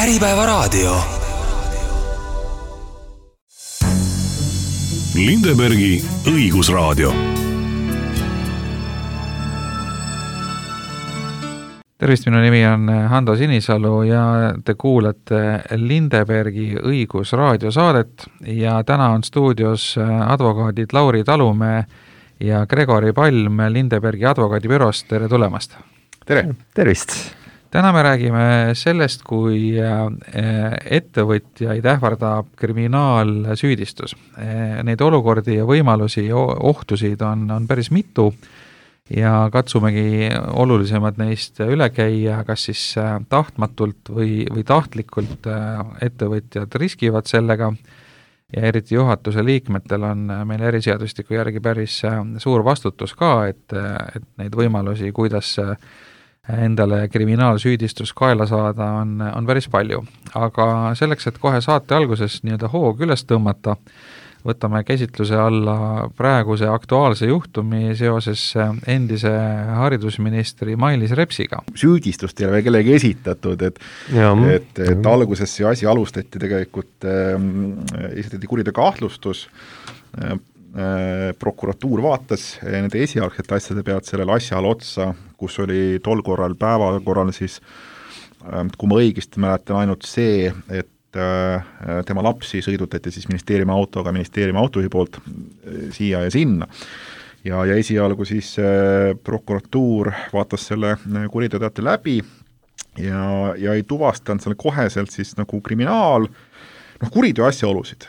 Äripäevaraadio. Lindebergi õigusraadio. Tervist, minu nimi on Hando Sinisalu ja te kuulete Lindebergi õigusraadio saadet ja täna on stuudios advokaadid Lauri Talumäe ja Gregori Palm Lindebergi advokaadibürost. Tere tulemast! Tere! Tervist! Täna me räägime sellest, kui ettevõtjaid ähvardab kriminaalsüüdistus. Neid olukordi ja võimalusi ja ohtusid on päris mitu ja katsumegi olulisemad neist üle käia, kas siis tahtmatult või tahtlikult ettevõtjad riskivad sellega ja eriti juhatuse liikmetel on meil eriseadustiku järgi päris suur vastutus ka, et neid võimalusi, kuidas endale kriminaalsüüdistus kaela saada, on päris palju. Aga selleks, et kohe saate alguses nii-öelda hoog üles tõmmata, võtame käsitluse alla praeguse aktuaalse juhtumi seoses endise haridusministri Mailis Repsiga. Süüdistust ei ole kellegi esitatud, et alguses see asi alustati tegelikult, esitati kuriteo kahtlustus, prokuratuur vaatas nende esialgsete asjade pealt sellele asjale otsa, kus oli tol korral päevakorral siis, kui ma õigesti mäletan, ainult see, et tema lapsi sõidutati siis ministeeriumi autojuhi poolt siia ja sinna. Ja esialgu siis prokuratuur vaatas selle kuriteoteate läbi ja ei tuvastanud selle koheselt siis nagu kuriteo asjaolusid.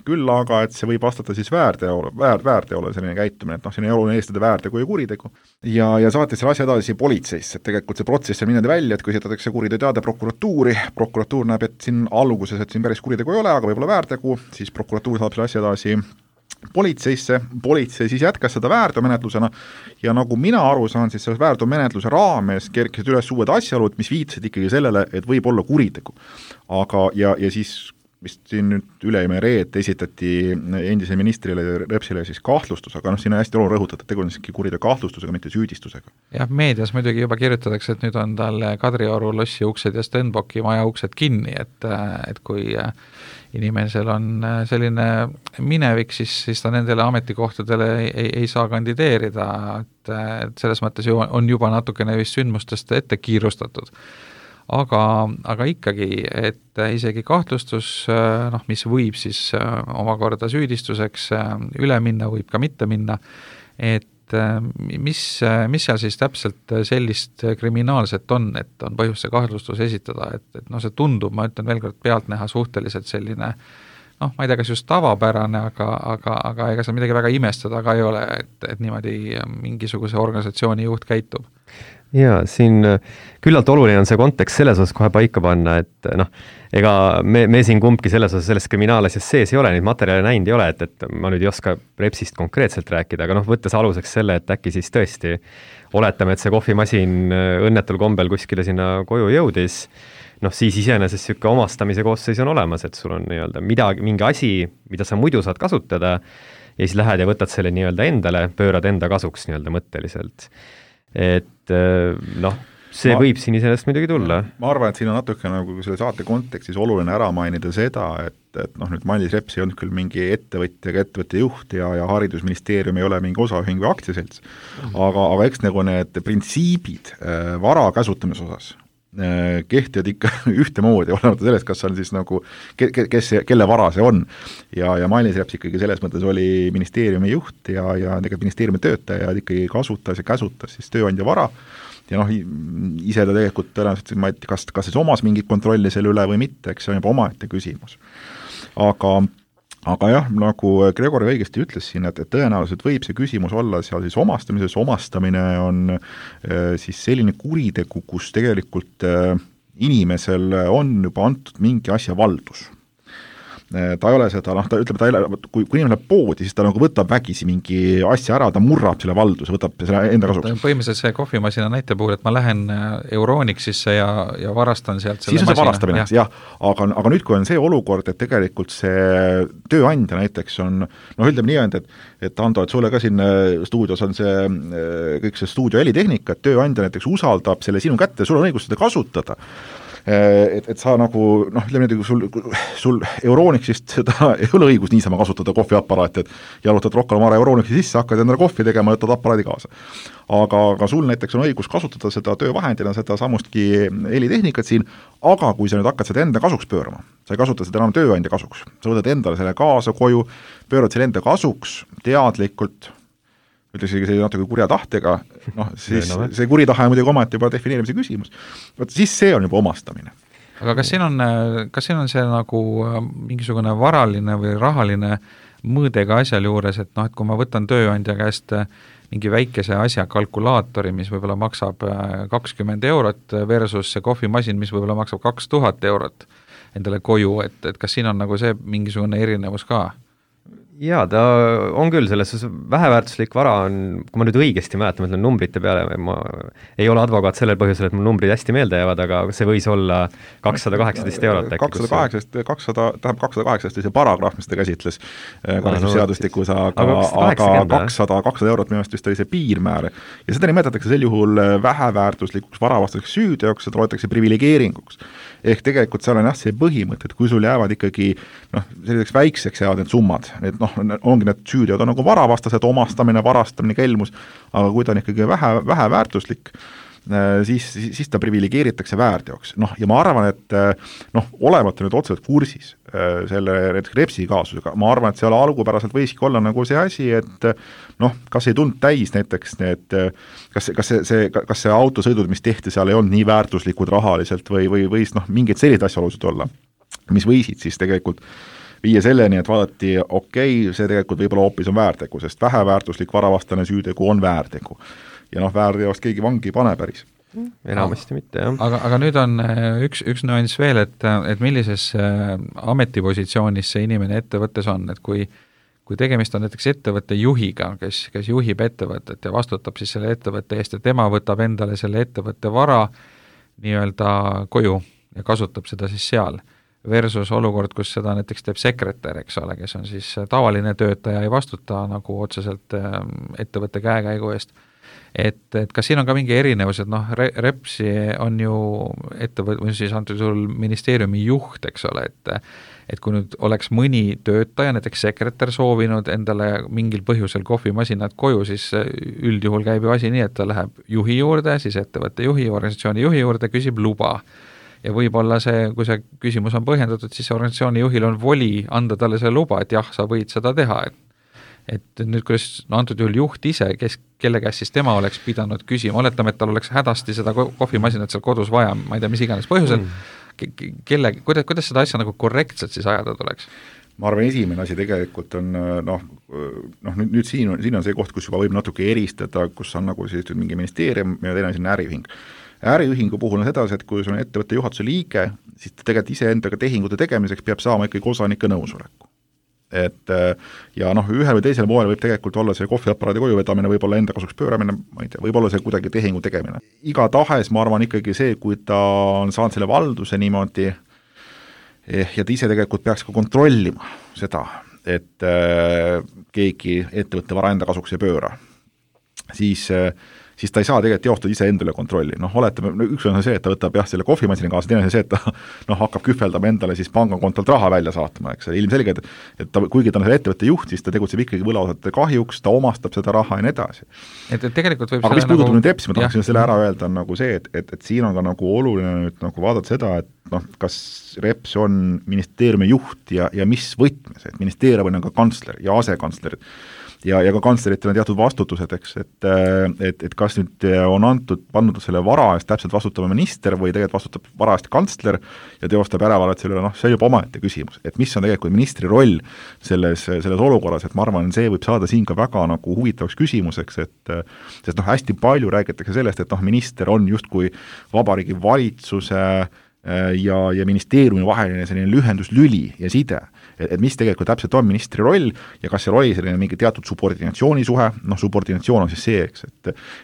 Küll aga, et see võib vastata siis väärteole selline käitumine, et siin ei oluline eestada väärtegu ja kuritegu. Ja saatis selle asja edasi politseisse, et tegelikult see protsess on minnud välja, et kui esitatakse kuriteoteade prokuratuur näeb, et siin alguses, et siin päris kuritegu ei ole, aga võib-olla väärtegu, siis prokuratuur saab selle asja edasi politseisse, politsei siis jätkas seda väärteomenetlusena ja nagu mina aru saan, siis selle väärteomenetluse raames kerkisid üles uued asjaolud, mis viitasid ikkagi sellele, et võib olla kuritegu. Aga ja siis vist siin nüüd üleime reed esitati endise ministrile Repsile siis kahtlustus, aga siin on hästi oluline rõhutada, et tegu on kuriteo kahtlustusega, mitte süüdistusega. Jah, meedias muidugi juba kirjutatakse, et nüüd on tal Kadrioru lossi uksed ja Stenbocki maja uksed kinni, et kui inimesel on selline minevik, siis ta nendele ametikohtadele ei saa kandideerida, et selles mõttes on juba natukene vist sündmustest ette kiirustatud. Aga ikkagi, et isegi kahtlustus, mis võib siis omakorda süüdistuseks üle minna, võib ka mitte minna, et mis seal siis täpselt sellist kriminaalset on, et on põhjus see kahtlustus esitada, et see tundub, ma ütlen veel kord pealtnäha suhteliselt selline, ma ei tea, kas just tavapärane, aga ega seal midagi väga imestada ka ei ole, et niimoodi mingisuguse organisatsiooni juht käitub. Jaa, siin küllalt oluline on see kontekst selles osas kohe paika panna, et ega me siin kumbki selles kriminaalasjas sees ei ole, neid materjale näinud ei ole, et ma nüüd ei oska Repsist konkreetselt rääkida, aga võttes aluseks selle, et äkki siis tõesti oletame, et see kohvimasin õnnetul kombel kuskile sinna koju jõudis, siis iseenesest siuke omastamise koosseis on olemas, et sul on mingi asi, mida sa muidu saad kasutada ja siis lähed ja võtad selle endale, pöörad enda kasuks mõtteliselt. Et see võib siin iseenesest muidugi tulla. Ma arvan, et siin on natuke nagu selle saate kontekstis oluline ära mainida seda, et nüüd Mailis Reps ei olnud küll mingi ettevõtja juht ja haridusministeerium ei ole mingi osaühing või aktsiaselts, aga eks nagu need printsiibid vara käsutamise osas kehtivad ikka ühtemoodi, olemata sellest, kas on siis nagu, kelle vara see on. Ja Mailis Reps ikkagi selles mõttes oli ministeeriumi juht ja ministeeriumi töötaja ikkagi kasutas ja käsutas siis tööandja vara ja ise ta tegelikult tõenäoliselt, ma ei tea, kas siis omas mingit kontrolli selle üle või mitte, eks see on juba omaette küsimus. Aga jah, nagu Gregori õigesti ütles siin, et tõenäoliselt võib see küsimus olla seal siis omastamises. Omastamine on siis selline kuritegu, kus tegelikult inimesel on juba antud mingi asja valdus. Ta ei ole seda, ta ütleb, kui inimene läheb poodi, siis ta nagu võtab vägisi mingi asja ära, ta murrab selle valduse, võtab selle enda kasuks. Põhimõtteliselt see kohvimasina näite puhul, et ma lähen Euronixisse ja varastan sealt selle masina. Siis on see varastamine, jah. Aga nüüd, kui on see olukord, et tegelikult see tööandja näiteks on, ütleme nii, et Ando, et sulle ka siin stuudios on see, kõik see stuudio helitehnika, et tööandja näiteks usaldab selle sinu kätte, sul on õigus seda kasutada. et sa nagu, ütleme nüüd, sul Euronixist seda ei ole õigus niisama kasutada kohviaparaati, et jalutad Rocca al Mare Euronixi sisse, hakkad endale kohvi tegema ja võtad aparaadi kaasa. Aga sul näiteks on õigus kasutada seda töövahendina, seda samustki helitehnikat siin, aga kui sa nüüd hakkad seda enda kasuks pöörama, sa ei kasuta seda enam tööandja kasuks, sa võtad endale selle kaasa koju, pöörad selle enda kasuks teadlikult, ütleks see natuke kurja tahtega, siis see kuri tahe on muidugi omati juba defineerimise küsimus. Siis see on juba omastamine. Aga kas siin on see nagu mingisugune varaline või rahaline mõõdega asjal juures, et et kui ma võtan tööandja käest mingi väikese asja kalkulaatori, mis võib-olla maksab 20 eurot versus see kohvimasin, mis võib-olla maksab 2000 eurot endale koju, et kas siin on nagu see mingisugune erinevus ka? Jaa, ta on küll selles väheväärtuslik vara on, kui ma nüüd õigesti mäletan, mõtlen numbrite peale, ma ei ole advokaat sellel põhjusel, et mul numbrid hästi meelde jäävad, aga see võis olla 218 eurot. 218 oli see paragrahv, mis ta käsitles karistusseadustikus, aga 200 eurot minu vist oli see piirmäär. Ja seda nimetatakse sel juhul väheväärtuslikuks varavastaseks süüteoks, seda loetakse privilegeeringuks. Ehk tegelikult seal on see põhimõte, et kui sul jäävad ikkagi selliseks väikseks jäävad need summad, ongi need süüdeod on nagu varavastased, omastamine, varastamine, kelmus, aga kui ta on ikkagi vähe väärtuslik, siis ta privilegeeritakse väärteoks. Ja ma arvan, et olemata nüüd otseselt kursis selle Repsi kaasusega, ma arvan, et seal algupäraselt võiski olla nagu see asi, et kas ei tulnud täis näiteks need, kas see autosõidud, mis tehti seal ei olnud nii väärtuslikud rahaliselt või võis mingeid selliseid asjaolusid olla, mis võisid siis tegelikult viia selleni, et vaadati, see tegelikult võib-olla hoopis on väärtegu, sest väheväärtuslik varavastane süütegu on väärtegu. Ja väärteost keegi vangi pane päris. Enamasti mitte, jah. Aga nüüd on üks nüanss veel, et millises ametipositsioonis see inimene ettevõttes on, et kui tegemist on näiteks ettevõtte juhiga, kes juhib ettevõtet ja vastutab siis selle ettevõtte eest ja tema võtab endale selle ettevõtte vara nii-öelda koju ja kasutab seda siis seal, versus olukord, kus seda näiteks teeb sekretär, eks ole, kes on siis tavaline töötaja, ei vastuta nagu otseselt ettevõtte käekäigu eest. Et kas siin on ka mingi erinevus, et Repsi on ju või siis antud juhul ministeeriumi juht, eks ole, et kui nüüd oleks mõni töötaja, näiteks sekretär soovinud endale mingil põhjusel kohvimasinad koju, siis üldjuhul käib ju asi nii, et ta läheb juhi juurde, siis ettevõtte juhi, organisatsiooni juhi juurde, küsib luba. Ja võib-olla kui see küsimus on põhjendatud, siis organisatsiooni juhil on voli anda talle see luba, et jah, sa võid seda teha. Et nüüd, kuidas antud juhul juht ise, kelle käest siis tema oleks pidanud küsima, oletame, et tal oleks hädasti seda kohvimasinat seal kodus vaja, ma ei tea, mis iganes põhjusel, kuidas seda asja nagu korrektselt siis ajada tuleks? Ma arvan, esimene asi tegelikult on, nüüd siin on see koht, kus juba võib natuke eristada, kus on nagu siis mingi ministeerium ja teine asi on äriühing. Äriühingu puhul on sedasi, et kui sul on ettevõtte juhatuse liige, siis ta tegelikult iseendaga tehingute tegemiseks peab saama ikkagi osanike nõusoleku. Ja ühel või teisel moel võib tegelikult olla see kohviaparaadi koju vedamine, võib-olla enda kasuks pööramine, ma ei tea, võib-olla see kuidagi tehingu tegemine. Iga tahes, ma arvan ikkagi see, kui ta on saanud selle valduse niimoodi ja ta ise tegelikult peaks ka kontrollima seda, et keegi ettevõtte vara enda kasuks ei pööra, siis ta ei saa tegelikult teostada ise endale kontrolli. Oletame, üks on see, et ta võtab selle kohvimasini kaasa, teine on see, et ta hakkab kühveldama endale siis pangakontolt raha välja saatma, eks ilmselge, et ta, kuigi ta on selle ettevõtte juht, siis ta tegutseb ikkagi võlausate kahjuks, ta omastab seda raha ja nii edasi. Et tegelikult võib aga mis puudutab nüüd Repsi, ma tahaksin selle ära öelda, on nagu see, et siin on ka nagu oluline nüüd nagu vaadata seda, et kas Reps on ministeeriumi juht ja mis võtmes, et ministeerium on ka kantsler ja asekantsler ja ka kantsleritel on teatud vastutused, eks, et kas nüüd on pandud selle vara eest täpselt vastutama minister või tegelikult vastutab vara eest kantsler ja teostab järelevalvet selle, see on juba omaette küsimus, et mis on tegelikult ministri roll selles olukorras, et ma arvan, see võib saada siin ka väga nagu huvitavaks küsimuseks, sest hästi palju räägitakse sellest, et minister on justkui Vabariigi Valitsuse ja ministeeriumi vaheline selline lühenduslüli ja side, et mis tegelikult täpselt on ministri roll ja kas seal oli selline mingi teatud subordinatsioonisuhe, subordinatsioon on siis see, eks,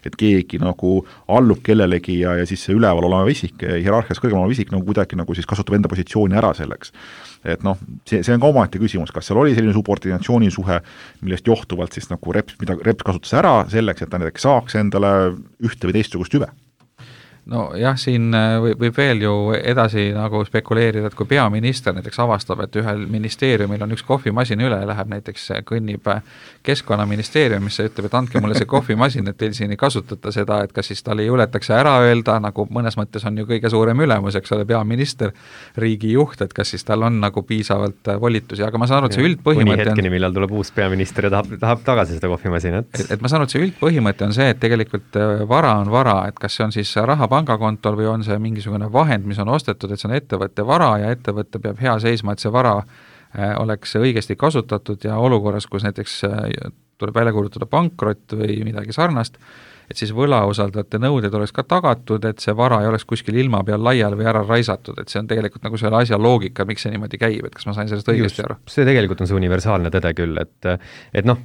et keegi nagu allub kellelegi ja siis see üleval olema isik, hierarhias kõrgemal olema isik nagu kuidagi nagu siis kasutab enda positsiooni ära selleks. Et see on ka omaette küsimus, kas seal oli selline subordinatsioonisuhe, millest johtuvalt siis nagu mida Reps kasutas ära selleks, et ta näiteks saaks endale ühte või teistsugust hüve. no jah, siin võib veel ju edasi nagu spekuleerida, et kui peaminister näiteks avastab, et ühel ministeeriumil on üks kohvimasin üle, läheb näiteks, kõnnib Keskkonnaministeeriumisse, ütleb, et andke mulle see kohvimasin, et teil siin ei kasutata seda, et kas siis tal ei juletakse ära öelda, nagu mõnes mõttes on ju kõige suurem ülemus, eks ole, peaminister, riigijuht, et kas siis tal on nagu piisavalt volitusi, aga ma saan aru, et see üldpõhimõte on hetkeni, millal tuleb uus peaminister ja tahab tagasi seda kohvimasinat. Et ma saan aru, et see üldpõhimõte on see, et tegelikult vara on vara, et kas see on siis raha pangakontol või on see mingisugune vahend, mis on ostetud, et see on ettevõtte vara ja ettevõte peab hea seisma, et see vara oleks õigesti kasutatud ja olukorras, kus näiteks tuleb välja kuulutada pankrot või midagi sarnast, et siis võlausaldajate nõuded oleks ka tagatud, et see vara ei oleks kuskil ilma peal laiali või ära raisatud, et see on tegelikult nagu selle asja loogika, miks see niimoodi käib, et kas ma sain sellest õigesti aru? See tegelikult on see universaalne tõde küll, et noh,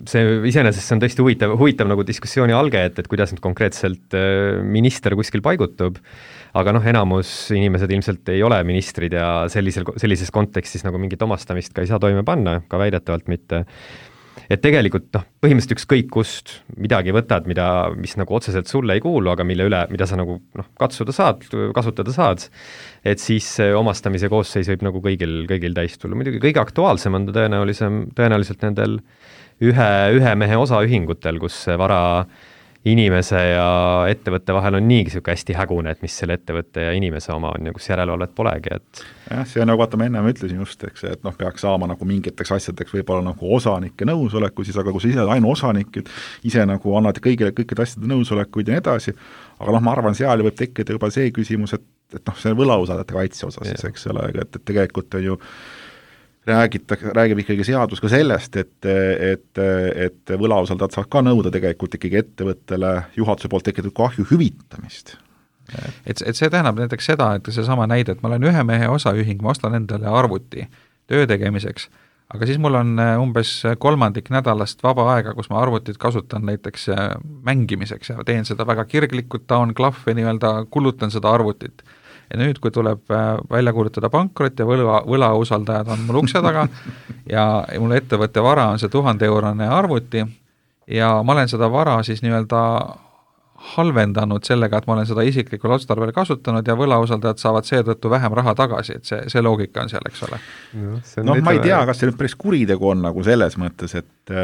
see iseenesest see on tõesti huvitav nagu diskussiooni alge, et kuidas nüüd konkreetselt minister kuskil paigutub, aga noh, enamus inimesed ilmselt ei ole ministrid ja sellises kontekstis nagu mingit omastamist ka ei saa toime panna, ka väidetavalt mitte. Et tegelikult noh, põhimõtteliselt ükskõik kust midagi võtad, mis nagu otseselt sulle ei kuulu, aga mida sa nagu noh, kasutada saad, et siis omastamise koosseis võib nagu kõigil täis tulla. Muidugi kõige aktuaalsem on ta tõenäoliselt nendel ühe mehe osaühingutel, kus vara inimese ja ettevõtte vahel on niigi siuke hästi hägune, et mis selle ettevõtte ja inimese oma on ja kus järelevalvet polegi, et jah, see on nagu, vaata, ma ennem ütlesin just, eks, et noh, peaks saama nagu mingiteks asjadeks võib-olla nagu osanike nõusoleku, siis aga kui sa ise ainu osanik, ise nagu annad kõikide asjade nõusolekuid ja nii edasi, aga noh, ma arvan, seal võib tekkida juba see küsimus, et noh, see võlausaldajate kaitse osas siis, eks ole, et tegelikult on ju räägib ikkagi seadus ka sellest, et võlausaldajad saavad ka nõuda tegelikult ikkagi ettevõttele juhatuse poolt tekitatud kahju hüvitamist. Et see tähendab näiteks seda, et see sama näide, et ma olen ühe mehe osaühing, ma ostan endale arvuti töö tegemiseks, aga siis mul on umbes 1/3 nädalast vaba aega, kus ma arvutit kasutan näiteks mängimiseks ja teen seda väga kirglikult, taon klahve nii-öelda, kulutan seda arvutit. Ja nüüd, kui tuleb välja kuulutada pankrot ja võlausaldajad on mul ukse taga ja mul ettevõtte vara on see 1000-eurone arvuti ja ma olen seda vara siis nii-öelda halvendanud sellega, et ma olen seda isiklikul otstarbel kasutanud ja võlausaldajad saavad seetõttu vähem raha tagasi, et see loogika on seal, eks ole. No ma ei tea, kas see nüüd päris kuritegu on nagu selles mõttes, et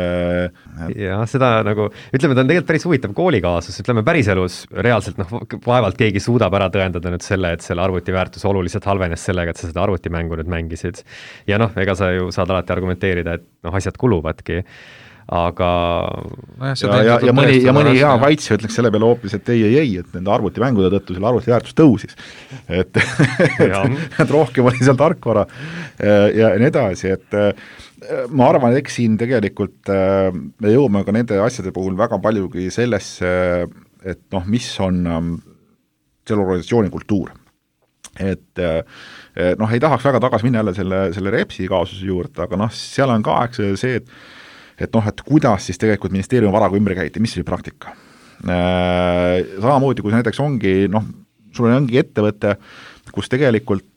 jah, seda nagu, ütleme, ta on tegelikult päris huvitav koolikaasus, ütleme päriselus reaalselt vaevalt keegi suudab ära tõendada nüüd selle, et selle arvuti väärtus oluliselt halvenes sellega, et sa seda arvutimängu nüüd mängisid. Ja noh, ega sa ju saad alati argumenteerida, et asjad kuluvadki. Aga ja mõni hea kaitsja ütleks selle peale hoopis, et ei, et nende arvutimängude tõttu selle arvuti väärtus tõusis. Et rohkem oli seal tarkvara ja nii edasi, et ma arvan, et eks siin tegelikult me jõuame ka nende asjade puhul väga paljugi sellesse, et noh, mis on selle organisatsiooni kultuur. Et noh, ei tahaks väga tagasi minna jälle selle Repsi kaasuse juurde, aga noh, seal on ka see, et noh, et kuidas siis tegelikult ministeeriumi varaga ümber käiti, mis oli praktika. Samamoodi, kui näiteks ongi, noh, sul ongi ettevõte, kus tegelikult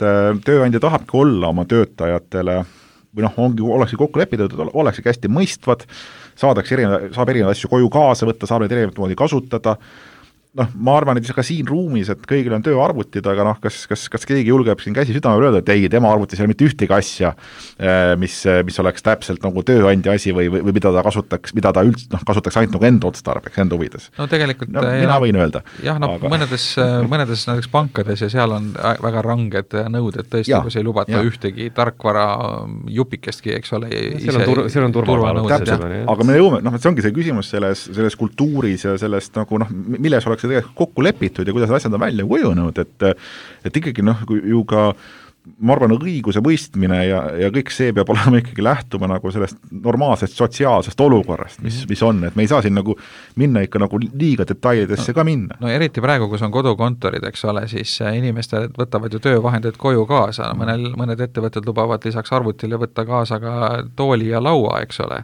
tööandja tahabki olla oma töötajatele või noh, olekski kokku lepitud, olekski hästi mõistvad, saab erinevaid asju koju kaasa võtta, saab neid erinevat moodi kasutada. Noh, ma arvan, et ka siin ruumis, et kõigil on tööarvutid, aga noh, kas keegi julgeb siin käsi südamel öelda, et ei, tema arvutis ei ole mitte ühtegi asja, mis oleks täpselt nagu tööandja asi või mida ta kasutaks ainult nagu enda otstarbeks, enda huvides. No tegelikult mina võin öelda. Jah, no aga mõnedes näiteks pankades ja seal on väga ranged nõuded tõesti, kus ei lubata ühtegi tarkvara jupikestki, eks ole. Seal on turvanõuded. Aga me jõume, noh, see ongi see küsimus selles kultuuris ja sellest nagu noh, milles oleks tegelikult kokku lepitud ja kuidas asjad on välja kujunenud, et ikkagi noh, ju ka ma arvan, õiguse mõistmine ja kõik see peab olema ikkagi lähtuma nagu sellest normaalsest sotsiaalsest olukorrast, mis on, et me ei saa siin nagu minna ikka nagu liiga detailidesse ka minna. No eriti praegu, kus on kodukontorid, eks ole, siis inimesed võtavad ju töövahendeid koju kaasa, mõned ettevõtted lubavad lisaks arvutile võtta kaasa ka tooli ja laua, eks ole.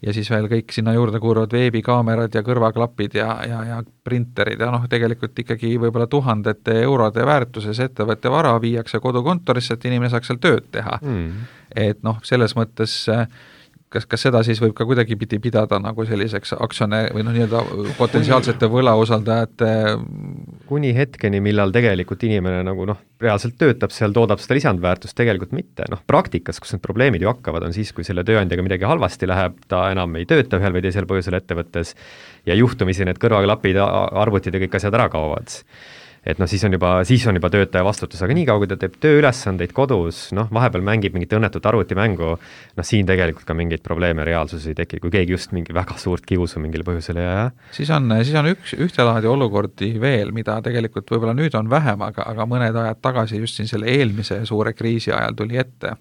Ja siis veel kõik sinna juurde kuuluvad veebikaamerad ja kõrvaklapid ja printerid ja noh, tegelikult ikkagi võib-olla 1000 eurode väärtuses ettevõtte vara viiakse kodukontorisse, et inimene saaks seal tööd teha. Et noh, selles mõttes kas seda siis võib ka kuidagi pidada nagu selliseks aktsione või nii-öelda potentsiaalsete võlausaldajate kuni hetkeni, millal tegelikult inimene nagu reaalselt töötab seal, toodab seda lisandväärtust, tegelikult mitte. Praktikas, kus need probleemid ju hakkavad, on siis, kui selle tööandjaga midagi halvasti läheb, ta enam ei tööta ühel või teisel põhjusel ettevõttes ja juhtumisi need kõrvaklapid, arvutid ja kõik asjad ära kaovad. Et siis on juba töötaja vastutus, aga nii kaua, kui ta teeb tööülesandeid kodus, vahepeal mängib mingit õnnetut arvutimängu, siin tegelikult ka mingeid probleeme reaalsuses ei teki, kui keegi just mingi väga suurt kiusu mingil põhjusel ei aja. Siis on ühtelaadi olukordi veel, mida tegelikult võib-olla nüüd on vähem, aga mõned ajad tagasi just siin selle eelmise suure kriisi ajal tuli ette,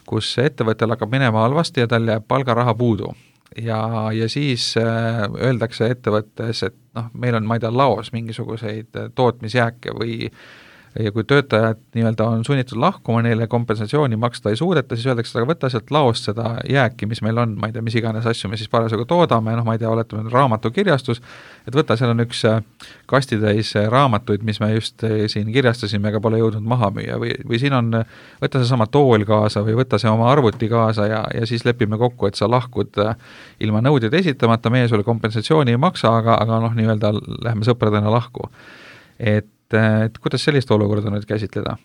kus ettevõttel hakkab minema halvasti ja tal jääb palgaraha puudu. Ja siis öeldakse ettevõttes, et meil on, ma ei tea, laos mingisuguseid tootmisjääke või ja kui töötajad nii-öelda on sunnitud lahkuma, neile kompensatsiooni maksta ei suudeta, siis öeldakse, aga võtta sealt laost seda jääki, mis meil on, ma ei tea, mis iganes asju me siis parasjagu toodame, ma ei tea, oletame raamatukirjastus, et võtta, seal on üks kastitäis raamatuid, mis me just siin kirjastasime, aga pole jõudnud maha müüa või siin on, võtta see sama tool kaasa või võtta see oma arvuti kaasa ja siis lepime kokku, et sa lahkud ilma nõudeid esitamata, meie sulle kompensatsiooni ei maksa, aga nii-öelda lähme sõpradena lahku. Et kuidas sellist olukorda nüüd käsitleda?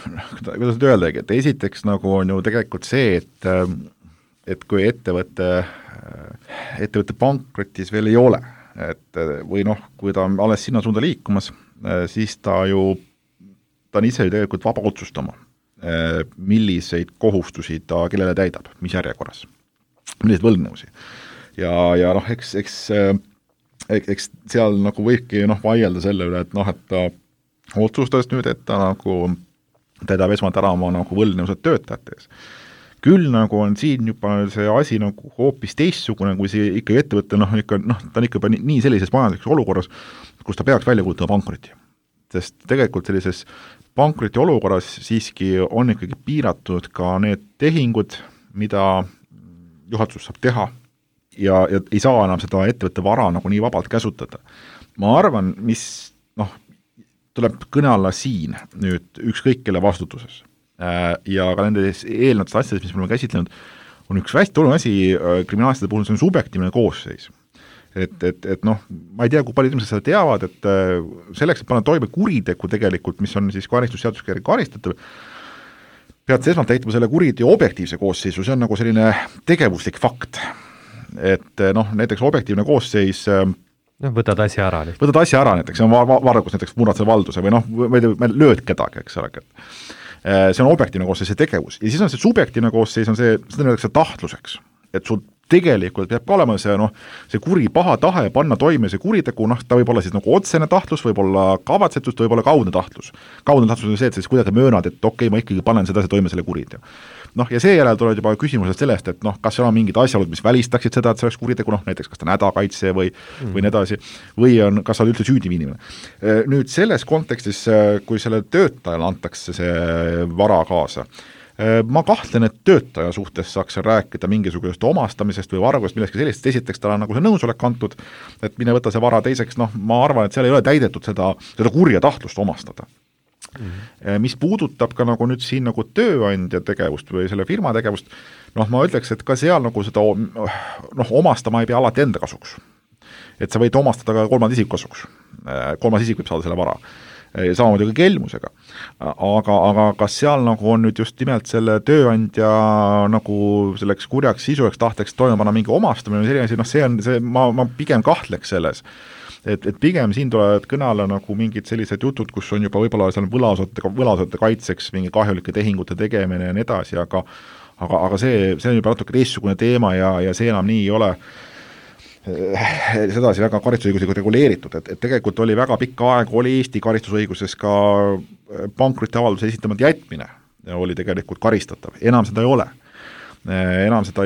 Kuidas nüüd öeldagi, et esiteks nagu on ju tegelikult see, et kui ettevõtte pankrotis veel ei ole, või kui ta on alles sinna suunda liikumas, siis ta on ise ju tegelikult vaba otsustama, milliseid kohustusi ta kellele täidab, mis järjekorras, milliseid võlgnevusi. Ja eks seal nagu võibki vaielda selle üle, et ta otsustas nüüd, et ta nagu täidab esmalt ära oma nagu võlgnevused töötajate ees. Küll nagu on siin juba see asi nagu hoopis teistsugune, kui see ikka ettevõte, ta on ikka nii sellises majanduslikus olukorras, kus ta peaks välja kuulutama pankroti. Sest tegelikult sellises pankroti olukorras siiski on ikkagi piiratud ka need tehingud, mida juhatus saab teha ja ei saa enam seda ettevõtte vara nagu nii vabalt käsutada. Ma arvan, mis tuleb kõne alla siin nüüd ükskõik kelle vastutuses ja ka nendes eelnevates asjades, mis me oleme käsitlenud, on üks hästi oluline asi kriminaalasjade puhul, see on subjektiivne koosseis. Et ma ei tea, kui palju inimesed seda teavad, et selleks, et panna toime kuritegu tegelikult, mis on siis karistusseadusega järgi karistatav, pead esmalt täitma selle kuriteo objektiivse koosseisu, see on nagu selline tegevuslik fakt. Et näiteks objektiivne koosseis võtad asja ära. Võtad asja ära näiteks, see on vargus näiteks murrad selle valduse või lööd kedagi, eks ole. See on objektiivne koosseis, see tegevus. Ja siis on see subjektiivne koosseis, on see, seda öeldakse tahtluseks. Et sul tegelikult peab ka olema see kuri paha tahe panna toime see kuritegu, ta võib olla siis nagu otsene tahtlus, võib olla kavatsetust, võib olla kaudne tahtlus. Kaudne tahtlus on see, et siis kuidagi möönad, et okei, ma ikkagi panen seda toime selle kuriteo. Ja seejärel tulevad juba küsimused sellest, et kas seal on mingid asjaolud, mis välistaksid seda, et see oleks kuritegu, näiteks kas ta on hädakaitse või nii edasi, või kas sa üldse süüdi inimene. Nüüd selles kontekstis, kui selle töötajale antakse see vara kaasa, ma kahtlen, et töötaja suhtes saaks rääkida mingisugusest omastamisest või vargust, millestki sellist, esiteks tal on nagu see nõusolek antud, et mine võta see vara, teiseks, ma arvan, et seal ei ole täidetud seda kurja tahtlust omastada. Mis puudutab ka nagu nüüd siin nagu tööandja tegevust või selle firma tegevust, ma ütleks, et ka seal nagu seda omastama ei pea alati enda kasuks. Et sa võid omastada ka kolmanda isiku kasuks. Kolmas isik võib saada selle vara. Samamoodi ka kelmusega. Aga kas seal nagu on nüüd just nimelt selle tööandja nagu selleks kurjaks sisueks tahteks toime panna mingi omastamine või selline, ma pigem kahtleks selles. Et pigem siin tulevad kõne alla nagu mingid sellised jutud, kus on juba võib-olla seal võlausate kaitseks mingi kahjulike tehingute tegemine ja nii edasi, aga see on juba natuke teistsugune teema ja see enam nii ei ole sedasi väga karistusõiguslikult reguleeritud, et tegelikult oli väga pikka aega, oli Eesti karistusõiguses ka pankrotiavalduse esitamata jätmine oli tegelikult karistatav, enam seda ei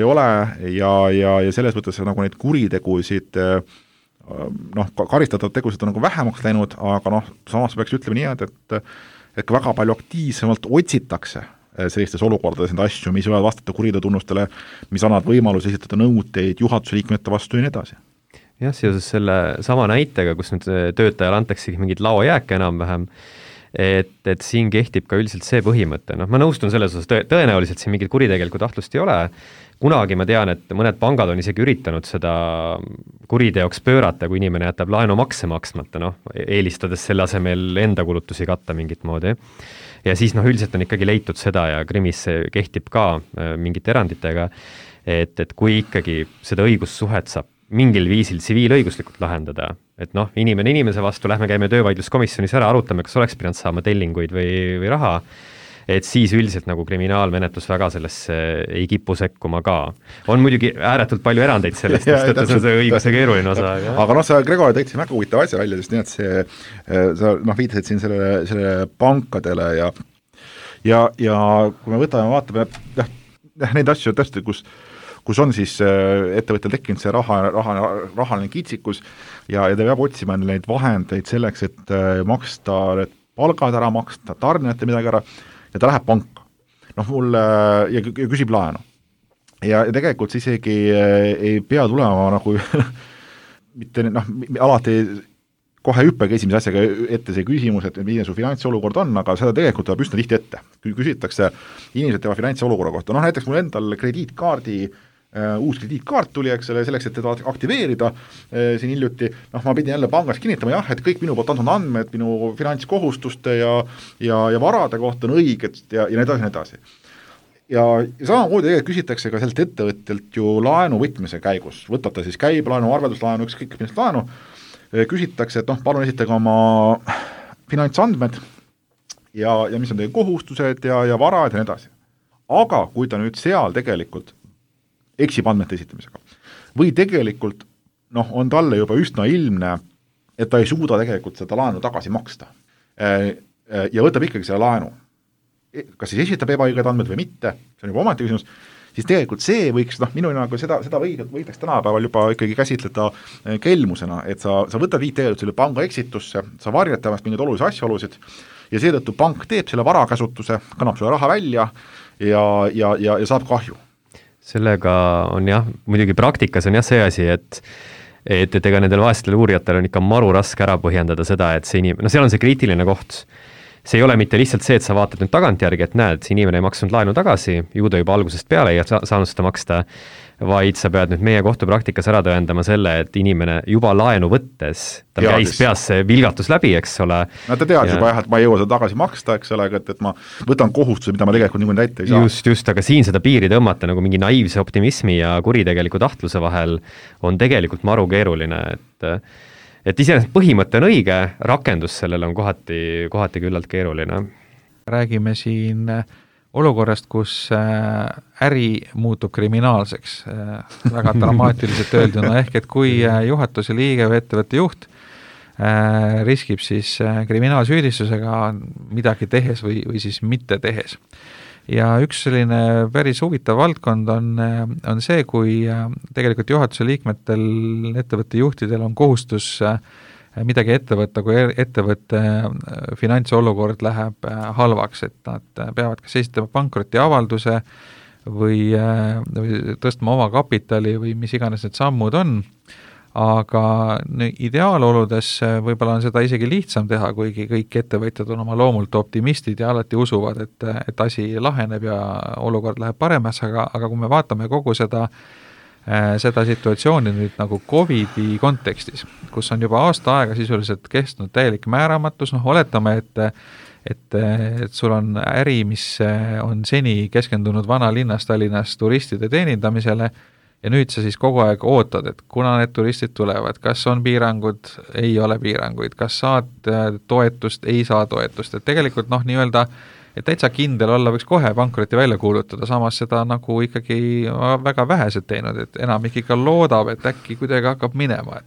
ole ja selles mõttes nagu neid kuritegusid karistatav tegusid on nagu vähemaks läinud, aga samas peaks ütlema nii, et väga palju aktiivsemalt otsitakse sellistes olukordades neid asju, mis võivad vastata kuriteotunnustele, mis annavad võimalus esitada nõuteid juhatuse liikmete vastu ja nii edasi. Jah, seoses selle sama näitega, kus nüüd töötajale antaksegi mingid laojääke enam-vähem, et siin kehtib ka üldiselt see põhimõte, noh, ma nõustun selles osas, tõenäoliselt siin mingit kuritegelikku tahtlust ei ole, kunagi ma tean, et mõned pangad on isegi üritanud seda kuriteoks pöörata, kui inimene jätab laenu makse maksmata, noh, eelistades selle asemel enda kulutusi katta mingit moodi. Ja siis üldiselt on ikkagi leitud seda ja krimis see kehtib ka mingite eranditega, et kui ikkagi seda õigussuhet saab mingil viisil tsiviilõiguslikult lahendada, et noh, inimene inimese vastu, lähme käime töövaidluskomisjonis ära, arutame, kas oleks pidanud saama tellinguid või raha, et siis üldiselt nagu kriminaalmenetlus väga sellesse ei kipu sekkuma ka. On muidugi ääretult palju erandeid sellest, sest see on see õiguse keeruline osa. Aga noh, sa, Gregor, tõid siin väga huvitav asja välja, sest nii, et see, sa viitasid siin selle pankadele ja kui me vaatame neid asju tõesti, kus on siis ettevõttel tekkinud see rahaline kitsikus ja ta peab otsima neid vahendeid selleks, et maksta need palgad ära, maksta tarnijate midagi ära ja ta läheb panka. Noh, ja küsib laenu. Ja tegelikult see isegi ei pea tulema nagu mitte alati kohe hüppega esimese asjaga ette see küsimus, et milline su finantsolukord on, aga seda tegelikult tuleb üsna tihti ette. Kui küsitakse inimesed tema finantsolukorra kohta, noh näiteks mul endal uus krediitkaart tuli, eks ole, selleks, et teda aktiveerida siin hiljuti, noh ma pidin jälle pangas kinnitama jah, et kõik minu poolt antud andmed minu finantskohustuste ja varade kohta on õiged ja nii edasi. Ja samamoodi küsitakse ka sellelt ettevõttelt ju laenu võtmise käigus, võtate siis käibelaenu, arvelduslaenu, ükskõik millest laenu, küsitakse, et noh, palun esitage oma finantsandmed ja mis on teie kohustused ja varad ja nii edasi. Aga kui ta nüüd seal tegelikult eksib andmete esitamisega. Või tegelikult on talle juba üsna ilmne, et ta ei suuda tegelikult seda laenu tagasi maksta. Ja võtab ikkagi selle laenu. Kas siis esitab ebaõiged andmed või mitte, see on juba ometi küsimus, siis tegelikult see võiks, minu nagu seda võidaks tänapäeval juba ikkagi käsitleda kelmusena, et sa võtad tegelikult selle panga eksitusse, sa varjad temast mingeid olulisi asjaolusid ja seetõttu pank teeb selle varakäsutuse, kannab sulle raha välja ja saab kahju. Sellega on jah, muidugi praktikas on jah see asi, et ega nendel vaestel uurijatel on ikka maru raske ära põhjendada seda, et see inimene, seal on see kriitiline koht. See ei ole mitte lihtsalt see, et sa vaatad nüüd tagantjärgi, et näed, see inimene ei maksnud laenu tagasi, ju ta juba algusest peale ei saanud seda maksta, vaid sa pead nüüd meie kohtupraktikas ära tõendama selle, et inimene juba laenu võttes, ta käis peas see vilgatus läbi, eks ole. No ta teadis juba jah, et ma ei jõua seda tagasi maksta, eks ole, et ma võtan kohustuse, mida ma tegelikult niimoodi täita ei saa. Just, aga siin seda piiri tõmmata nagu mingi naiivse optimismi ja kuritegeliku tahtluse vahel on tegelikult maru keeruline, et iseenesest põhimõte on õige, rakendus sellele on kohati küllalt keeruline. Räägime siin olukorrast, kus äri muutub kriminaalseks, väga dramaatiliselt öelduna, ehk et kui juhatuse liige või ettevõtte juht riskib siis kriminaalsüüdistusega midagi tehes või siis mitte tehes. Ja üks selline päris huvitav valdkond on see, kui tegelikult juhatuse liikmetel, ettevõtte juhtidel on kohustus midagi ette võtta, kui ettevõtte finantsolukord läheb halvaks, et nad peavad kas esitama pankrotiavalduse või tõstma oma kapitali või mis iganes need sammud on, aga ideaaloludes võib-olla on seda isegi lihtsam teha, kuigi kõik ettevõtjad on oma loomult optimistid ja alati usuvad, et asi laheneb ja olukord läheb paremaks, aga kui me vaatame kogu seda situatsiooni nüüd nagu COVID-i kontekstis, kus on juba aasta aega sisuliselt kestnud täielik määramatus, oletame, et sul on äri, mis on seni keskendunud vanalinnas Tallinnas turistide teenindamisele ja nüüd sa siis kogu aeg ootad, et kuna need turistid tulevad, kas on piirangud, ei ole piiranguid, kas saad toetust, ei saa toetust, et tegelikult nii-öelda et täitsa kindel olla võiks kohe pankroti välja kuulutada, samas seda nagu ikkagi väga vähesed teinud, et enamik ikka loodab, et äkki kuidagi hakkab minema.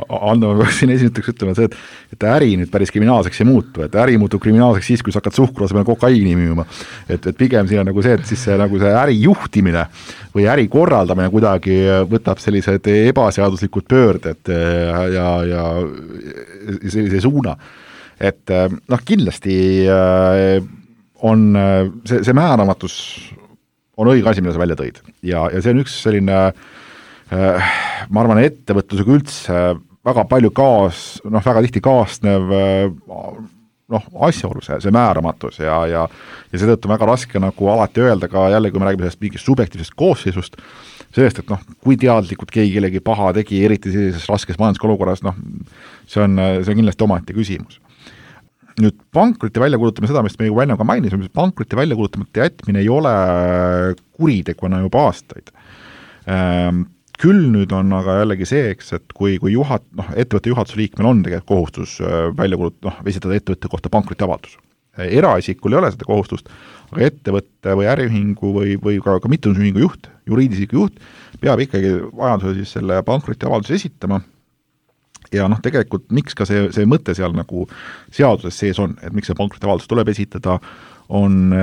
Ando, ma peaks siin esimeseks ütlema see, et äri nüüd päris kriminaalseks ei muutu, et äri muutub kriminaalseks siis, kui sa hakkad suhkru asemel kokaiini müüma. Et pigem siin on nagu see, et siis see, nagu see äri juhtimine või äri korraldamine kuidagi võtab sellised ebaseaduslikud pöörded ja sellise suuna. Et kindlasti on see määramatus on õige asi, mida sa välja tõid ja see on üks selline ma arvan, ettevõtlusega üldse väga palju väga tihti kaasnev asjaolu, see määramatus ja seetõttu väga raske nagu alati öelda ka jälle, kui me räägime sellest mingist subjektiivsest koosseisust, sellest, et kui teadlikult keegi kellegi paha tegi, eriti sellises raskes majandusolukorras, see on kindlasti omaette küsimus. Nüüd pankroti väljakuulutame seda, mis me juba enne ka mainisime, pankroti väljakuulutamata jätmine ei ole kuriteguna juba aastaid. Küll nüüd on aga jällegi see, et kui ettevõtte juhatuse liikmel on tegelikult kohustus esitada ettevõtte kohta pankrotiavaldus. Eraisikul ei ole seda kohustust, aga ettevõtte või äriühingu või ka mittetulundusühingu juht, juriidisiku juht, peab ikkagi vajadusel siis selle pankrotiavalduse esitama. Ja tegelikult miks ka see mõte seal nagu seaduses sees on, et miks see pankrotiavaldus tuleb esitada, on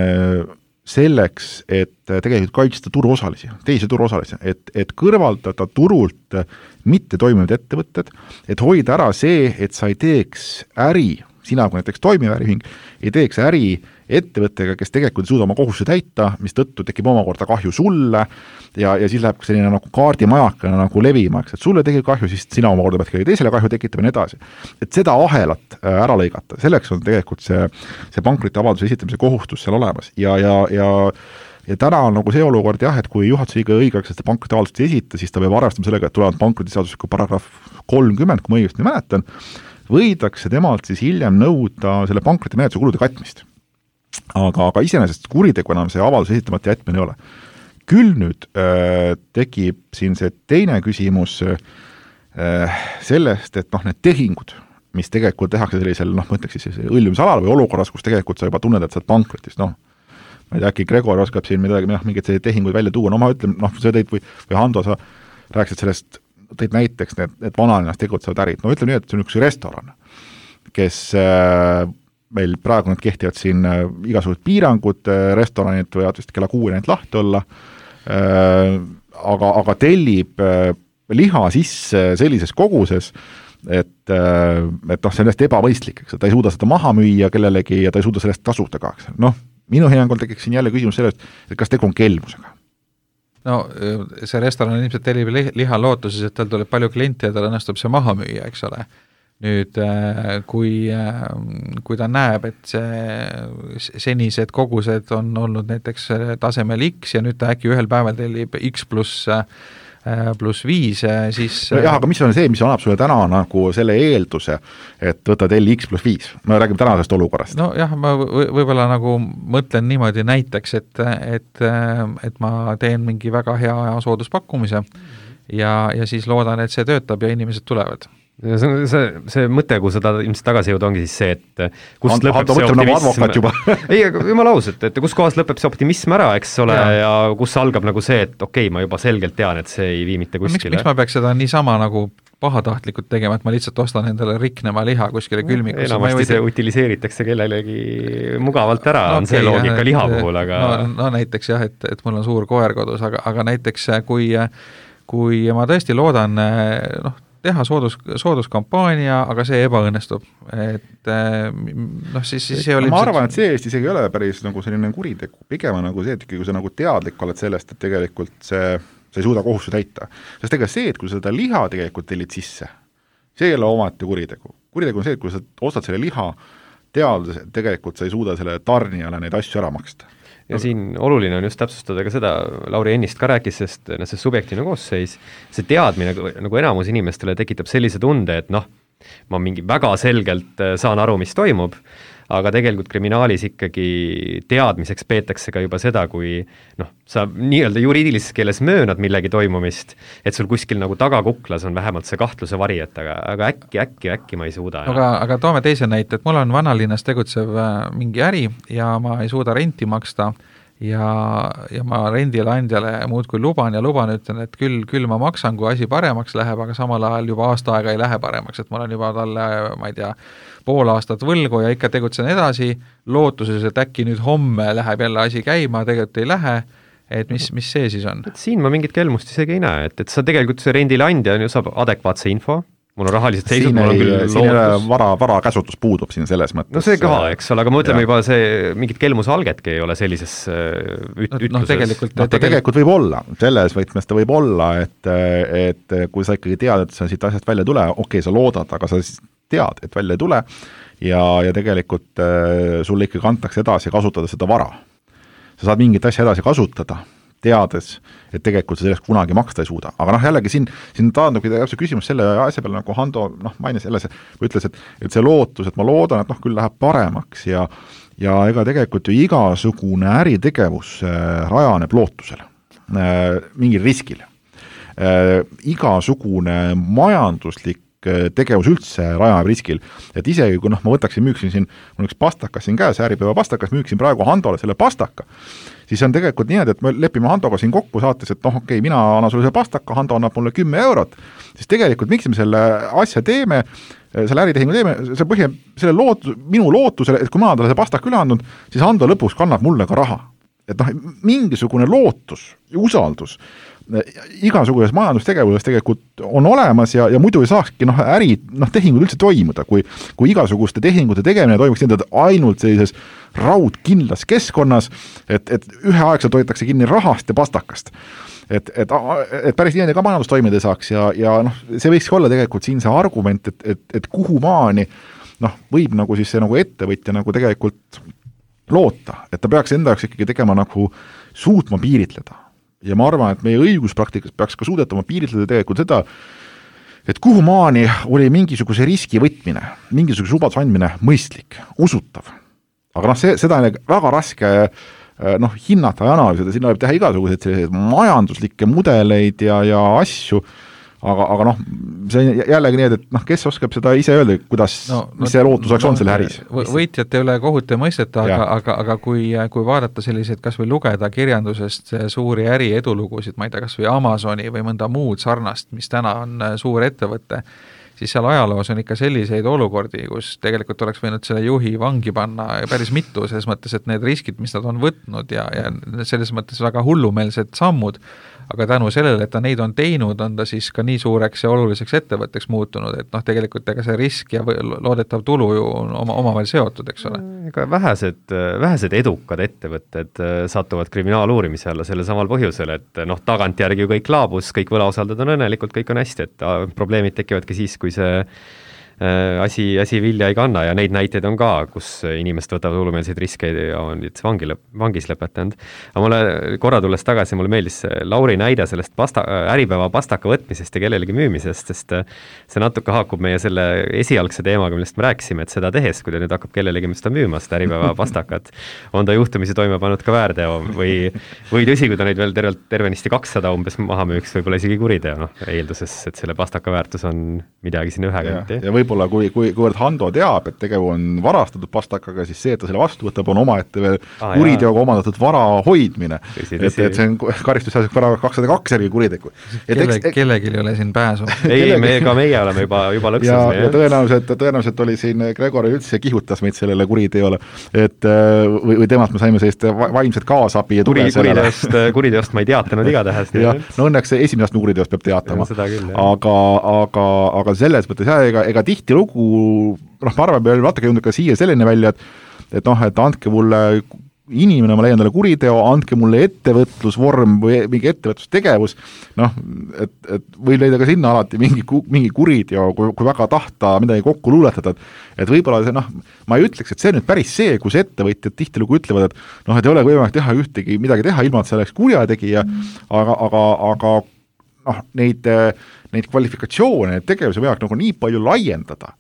selleks, et tegelikult kaitsta turuosalisi, teisi turuosalisi, et kõrvaldada turult mitte toimivad ettevõtted, et hoida ära see, et sa ei teeks äri, sina kui näiteks toimiv äriühing, ei teeks äri ettevõttega, kes tegelikult ei suuda oma kohustusi täita, mis tõttu tekib omakorda kahju sulle ja siis läheb selline nagu kaardimajakana nagu levima, et sulle tekib kahju, siis sina omakorda pead kellegi teisele kahju tekitama ja nii edasi. Et seda ahelat ära lõigata, selleks on tegelikult see pankrotiavalduse esitamise kohustus seal olemas ja täna on nagu see olukord jah, et kui juhatuse liige õigeks seda pankrotiavaldust esita, siis ta peab arvestama sellega, et tulevad pankrotiseadusliku paragrahv 30, kui ma õigesti mäletan, võidakse temalt siis hiljem nõuda selle pankrotimenetluse kulude katmist. Aga iseenesest kuritegu enam see avalduse esitamata jätmine ei ole. Küll nüüd tekib siin see teine küsimus sellest, et need tehingud, mis tegelikult tehakse sellisel, ma ütleks siis õljumisalal või olukorras, kus tegelikult sa juba tunned, et sa oled pankrotis, ma ei tea, äkki Gregor oskab siin mingeid tehinguid välja tuua, ma ütlen, sa tõid või Hando, sa rääkisid sellest, tõid näiteks need vanalinnas tegutsevad ärid, ütleme nii, et see on üks restoran, kes meil praegu need kehtivad siin igasugused piirangud, restoranid võivad vist kella 6 neid lahti olla, aga tellib liha sisse sellises koguses, et see on hästi ebavõistlik, eks, ta ei suuda seda maha müüa kellelegi ja ta ei suuda sellest tasuda ka. Minu hinnangul tekiks siin jälle küsimus sellest, et kas tegu on kelmusega. See restoran ilmselt tellib liha lootuses, et tal tuleb palju klienti ja tal õnnestub see maha müüa, eks ole. Nüüd, kui ta näeb, et senised kogused on olnud näiteks tasemel X ja nüüd ta äkki ühel päeval tellib X plus 5, siis jah, aga mis on see, mis annab sulle täna nagu selle eelduse, et võta telli X plus 5? Me räägime tänasest olukorrast. Jah, ma võib-olla nagu mõtlen niimoodi näiteks, et ma teen mingi väga hea sooduspakkumise ja siis loodan, et see töötab ja inimesed tulevad. See mõte, kui seda ilmselt tagasi jõuda, ongi siis see, et kust lõpeb see optimism. Ei, jumala aus, et kus kohas lõpeb see optimism ära, eks ole, ja kus algab nagu see, et okei, ma juba selgelt tean, et see ei vii mitte kuskile. Miks ma peaks seda niisama nagu pahatahtlikult tegema, et ma lihtsalt ostan endale riknema liha kuskile külmikusse? Enamasti see utiliseeritakse kellelegi mugavalt ära, on see loogika liha puhul, aga no näiteks jah, et mul on suur koer kodus, aga näiteks kui ma tõesti loodan teha sooduskampaania, aga see ebaõnnestub. Siis see oli... Ma arvan, et see Eestis ei ole päris nagu selline kuritegu. Pigem nagu see, et kui sa nagu teadlik oled sellest, et tegelikult sa ei suuda kohustu täita. Sest ega see, et kui sa seda liha tegelikult tellid sisse, see ei ole omati kuritegu. Kuritegu on see, et kui sa ostad selle liha, teades, et tegelikult sa ei suuda selle tarnijale neid asju ära maksta. Ja siin oluline on just täpsustada ka seda, Lauri ennist ka rääkis, sest see subjektiivne koosseis, see teadmine nagu enamus inimestele tekitab sellise tunde, et ma mingi väga selgelt saan aru, mis toimub, aga tegelikult kriminaalis ikkagi teadmiseks peetakse ka juba seda, kui sa nii-öelda juriidilises keeles möönad millegi toimumist, et sul kuskil nagu tagakuklas on vähemalt see kahtluse vari, et aga äkki ma ei suuda. Aga toome teise näite, et mul on vanalinnas tegutsev mingi äri ja ma ei suuda renti maksta ja ma rendile andjale muudkui luban, ütlen, et küll ma maksan, kui asi paremaks läheb, aga samal ajal juba aasta aega ei lähe paremaks, et ma olen juba talle, ma ei tea, pool aastat võlgu ja ikka tegutsen edasi, lootuses, et äkki nüüd homme läheb jälle asi käima, tegelikult ei lähe, et mis see siis on? Siin ma mingit kelmust isegi ei näe, et sa tegelikult see rendile andja saab adekvaatse info, mul on rahalised seisud, mul on küll lootus. Vara käsutus puudub siin selles mõttes. No see ka, eks ole, aga ma ütleme juba see mingit kelmuse algetki ei ole sellises ütluses. Tegelikult võib olla, selles võtmes ta võib olla, et kui sa ikkagi tead, et sa siit asjast välja tule, okei, sa loodad, aga sa tead, et välja ei tule ja tegelikult sulle ikkagi antakse edasi kasutada seda vara. Sa saad mingit asja edasi kasutada, teades, et tegelikult sa sellest kunagi maksta ei suuda. Aga jällegi siin taandubki täpselt küsimus selle asja peale, nagu Hando mainis jälle või ütles, et see lootus, et ma loodan, et küll läheb paremaks ja ega tegelikult ju igasugune äritegevus rajaneb lootusele, mingil riskil. Igasugune majanduslik tegevus üldse rajab riskil, et isegi kui ma võtaksin, müüksin siin, mul üks pastakas siin käes, Äripäeva pastakas, müüksin praegu Handole selle pastaka, siis on tegelikult nii, et me lepime Handoga siin kokku saates, et okei, mina annan sulle selle pastaka, Hando annab mulle 10 eurot, siis tegelikult miks me selle asja teeme, selle äritehingu teeme, minu lootusele, et kui ma talle see pastaka üle andnud, siis Hando lõpuks kannab mulle ka raha. Et mingisugune lootus ja usaldus igasuguses majandustegevuses tegelikult on olemas ja muidu ei saakski tehingud üldse toimuda, kui igasuguste tehingute tegemine toimuks nii, et ainult sellises raudkindlas keskkonnas, et üheaegselt hoitakse kinni rahast ja pastakast. Et päris nii ka majandus toimida saaks ja see võikski olla tegelikult siin see argument, et kuhu maani võib siis see ettevõtja tegelikult loota, et ta peaks enda jaoks ikkagi tegema suutma piiritleda. Ja ma arvan, et meie õiguspraktikas peaks ka suudetama piiritleda tegelikult seda, et kuhu maani oli mingisuguse riski võtmine, mingisuguse lubaduse andmine mõistlik, usutav. Aga seda on väga raske hinnata ja analüüsida, sinna võib teha igasuguseid majanduslikke mudeleid ja asju, aga see on jällegi nii, et kes oskab seda ise öelda, kuidas mis see lootuseks on selle äris? Võitjate üle kohut ei mõisteta, aga kui vaadata selliseid, kas või lugeda kirjandusest suuri äri edulugusid, ma ei tea, kas või Amazoni või mõnda muud sarnast, mis täna on suur ettevõte, siis seal ajaloos on ikka selliseid olukordi, kus tegelikult oleks võinud selle juhi vangi panna päris mitu, selles mõttes, et need riskid, mis nad on võtnud ja selles mõttes väga hullumeelsed sammud, aga tänu sellele, et ta neid on teinud, on ta siis ka nii suureks ja oluliseks ettevõtteks muutunud, et tegelikult ega see risk ja loodetav tulu ju on omavahel seotud, eks ole. Ega vähesed edukad ettevõtted satuvad kriminaaluurimise alla selle samal põhjusel, et tagantjärgi ju kõik laabus, kõik võlausaldajad on õnnelikult, kõik on hästi, et probleemid tekivadki siis, kui see asi vilja ei kanna ja neid näiteid on ka, kus inimesed võtavad hullumeelseid riske ja on vangis lõpetanud. Aga mulle korra tulles tagasi, mulle meeldis Lauri näide sellest Äripäeva pastaka võtmisest ja kellelegi müümisest, sest see natuke haakub meie selle esialgse teemaga, millest me rääkisime, et seda tehes, kui ta nüüd hakkab kellelegi seda müüma, seda Äripäeva pastakat, on ta juhtumisi toime pannud ka väärteo või tõsi, kui ta neid veel tervenisti 200 umbes maha müüks, võib-olla isegi kuriteo, eelduses, et selle pastaka väärtus on midagi sinna ühe kanti. Ja võib-olla kuivõrd Hando teab, et tegevus on varastatud pastakaga, siis see, et ta selle vastu võtab, on omaette veel kuriteoga omandatud vara hoidmine. Et see on karistusseaduslik paragrahv 202 järgi kuritegu. Kellelgi ei ole siin pääsu. Ei, meie oleme juba lõksas. Ja tõenäoliselt oli siin Gregori üldse kihutas meid sellele kuriteole, või temast me saime sellist vaimset kaasabi ja tuge sellele. Kuriteost ma ei teatanud igatähes. Õnneks esimesest kuriteost peab teatama. Aga selles mõttes ega tihtilugu, ma arvan, me vaatagi jõudnud ka siia selline välja, et andke mulle inimene, ma leian talle kuriteo, andke mulle ettevõtlusvorm või mingi ettevõtlustegevus, et võib leida ka sinna alati mingi kuriteo, kui väga tahta midagi kokku luuletada, et võib-olla see, ma ei ütleks, et see nüüd päris see, kus ettevõtjad tihtilugu ütlevad, et ei ole võimalik teha midagi teha, ilma et see oleks kurjategija, aga neid kvalifikatsioone, neid tegevusi võivad nii palju laiendada,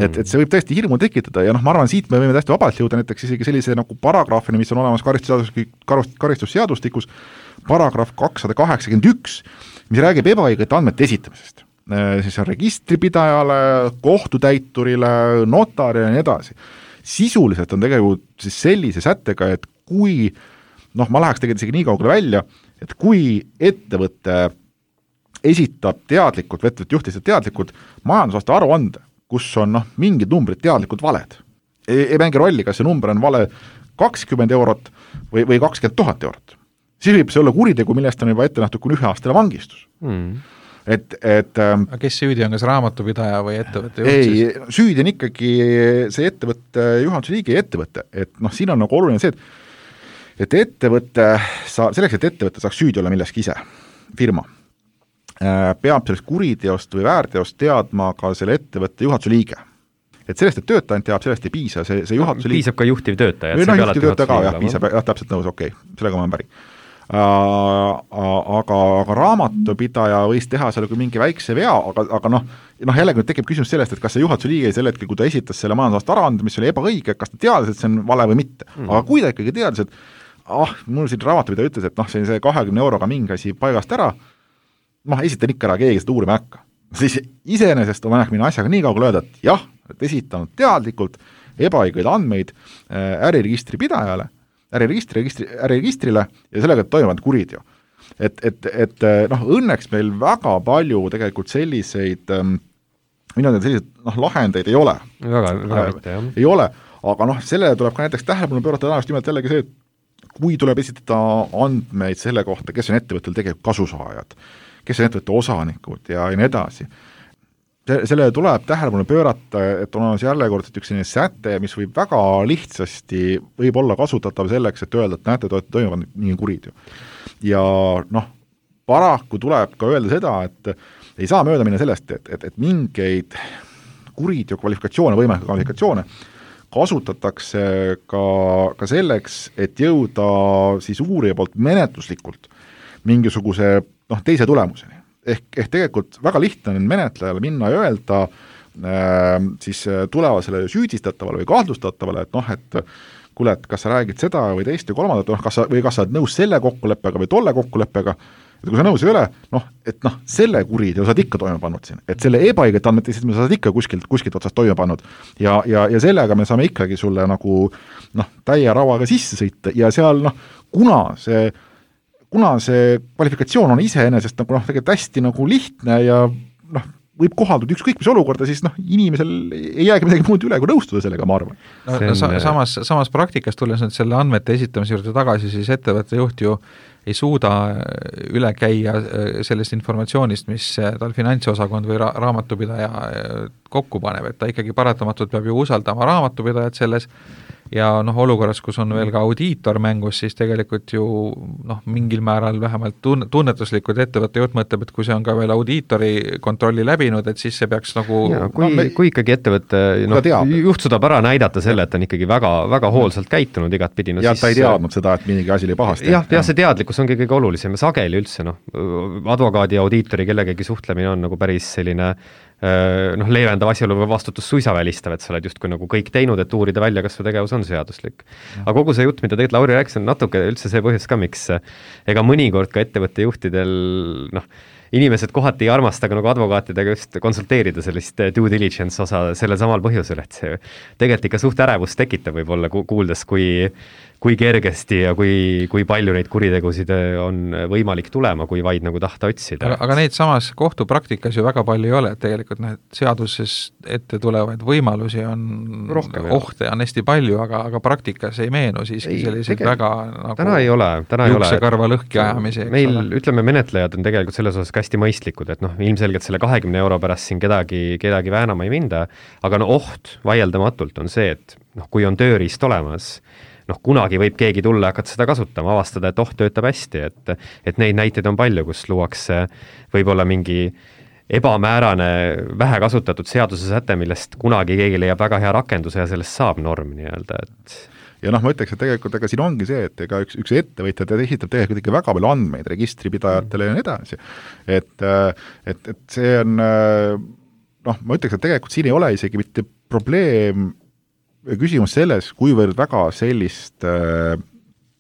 et see võib tõesti hirmu tekitada ja ma arvan, siit me võime täiesti vabalt jõuda näiteks isegi sellise paragrahvini, mis on olemas karistusseadustikus, paragrahv 281, mis räägib ebaõigete andmete esitamisest. Siis on registripidajale, kohtutäiturile, notarile ja nii edasi. Sisuliselt on tegelikult siis sellise sättega, et kui, ma läheks tegelikult isegi nii kaugele välja, et kui ettevõtte esitab teadlikult, ettevõtte juhtised teadlikult majandusaasta aruande, kus on mingid numbrid teadlikult valed. Ei mängi rolli, kas see number on vale 20 eurot või 20 000 eurot. Siis võib see olla kuritegu, millest on juba ette nähtud kuni 1 aastane vangistus. Aga kes süüdi on, kas raamatupidaja või ettevõtte juht? Ei, süüdi on ikkagi see ettevõtte juhatuse liige ja ettevõtte. Et siin on oluline see, et ettevõtte, selleks, et ettevõtte saaks süüdi olla milleski ise, firma, peab sellest kuriteost või väärteost teadma ka selle ettevõtte juhatuse liige. et sellest, et töötaja teab, sellest ei piisa, see juhatuse piisab ka juhtiv töötaja. Juhtiv töötaja ka, jah, piisab, jah, täpselt nõus, okei, sellega ma olen päri. Aga raamatupidaja võis teha seal mingi väikse vea, aga jällegi tekib küsimus sellest, et kas see juhatuse liige sel hetkel, kui ta esitas selle majandusaasta aruande, mis oli ebaõige, kas ta teadis, et see on vale või mitte. Aga kui ta ikkagi teadis, et mul siin raamatupidaja ütles, et see 20 euroga mingi asi paigast ära, esitan ikka ära, keegi seda uurima äkka. Siis iseenesest on vaja minna asjaga nii kaugele öelda, et jah, et esitanud teadlikult ebaõigeid andmeid äriregistri pidajale, äriregistrile ja sellega toimuvad kuriteo. Et õnneks meil väga palju tegelikult selliseid lahendeid ei ole. Väga mitte, jah. Ei ole, aga sellele tuleb ka näiteks tähelepanu pöörata just nimelt jällegi see, et kui tuleb esitada andmeid selle kohta, kes on ettevõttel tegelikult kasusaajad, kes on ettevõtte osanikud ja nii edasi. Sellele tuleb tähelepanu pöörata, et on järjekordselt üks selline säte, mis võib väga lihtsasti võib olla kasutatav selleks, et öelda, et näete, toimuvad nii kuriteo. Ja paraku tuleb ka öelda seda, et ei saa mööda minna sellest, et mingeid kuriteo kvalifikatsioone, võimalikke kvalifikatsioone kasutatakse ka selleks, et jõuda siis uurija poolt menetluslikult mingisuguse teise tulemuseni. Ehk tegelikult väga lihtne on menetlejale minna ja öelda siis tulevasele süüdistatavale või kahtlustatavale, et kuule, et kas sa räägid seda või teist või kolmandat, kas sa oled nõus selle kokkuleppega või tolle kokkuleppega, et kui sa nõus ei ole, selle kuriteo saad ikka toime pannud siin, et selle ebaõiget andmete me saad ikka kuskilt otsast toime pannud ja sellega me saame ikkagi sulle täie rauaga sisse sõita ja seal kuna see kvalifikatsioon on iseenesest tegelikult hästi lihtne ja võib kohalduda ükskõik mis olukorda, siis inimesel ei jäägi midagi muud üle, kui nõustuda sellega, ma arvan. Samas praktikas tulles nüüd selle andmete esitamise juurde tagasi, siis ettevõtte juht ju ei suuda üle käia sellest informatsioonist, mis tal finantsosakond või raamatupidaja kokku paneb, et ta ikkagi paratamatult peab ju usaldama raamatupidajat selles ja olukorras, kus on veel ka audiitor mängus, siis tegelikult ju mingil määral vähemalt tunnetuslikud ettevõtte juht mõtleb, et kui see on ka veel audiitori kontrolli läbinud, et siis see peaks kui ikkagi ettevõtte juht suudab ära näidata selle, et on ikkagi väga, väga hoolsalt käitunud igatpidi. Ja ta ei teadnud seda, et mingi asi oli pahasti. Ja see teadlikkus ongi kõige olulisem ja sageli üldse, advokaadi ja audiitori kellegagi suhtlemine on päris selline leevendav asjaolu või vastutus suisa välistav, et sa oled justkui kõik teinud, et uurida välja, kas su tegevus on seaduslik. Aga kogu see jutt, mida tegelikult Lauri rääkis, on natuke üldse see põhjus ka, miks ega mõnikord ka ettevõtte juhtidel inimesed kohati ei armasta ka advokaatidega just konsulteerida sellist due diligence osa sellel samal põhjusel, et see tegelikult ikka suht ärevust tekitab võib-olla kuuldes, kui kergesti ja kui palju neid kuritegusid on võimalik tulema, kui vaid tahta otsida. Aga neid samas kohtupraktikas ju väga palju ei ole, et tegelikult seaduses ette tulevaid võimalusi on rohkem, ohte on hästi palju, aga praktikas ei meenu siiski selliseid väga täna ei ole juuksekarva lõhki ajamisi. Meil, ütleme, menetlejad on tegelikult selles osas hästi mõistlikud, et ilmselgelt selle 20 euro pärast siin kedagi väänama ei minda, aga oht vaieldamatult on see, et kui on tööriist olemas, kunagi võib keegi tulla ja hakata seda kasutama, avastada, et töötab hästi, et neid näiteid on palju, kus luuakse võib-olla mingi ebamäärane, vähe kasutatud seaduse säte, millest kunagi keegi leiab väga hea rakenduse ja sellest saab norm nii-öelda, et ja ma ütleks, et tegelikult siin ongi see, et ega üks ettevõtja esitab tegelikult ikka väga palju andmeid registripidajatele ja nii edasi. Et see on, ma ütleks, et tegelikult siin ei ole isegi mitte probleem küsimus selles, kuivõrd väga sellist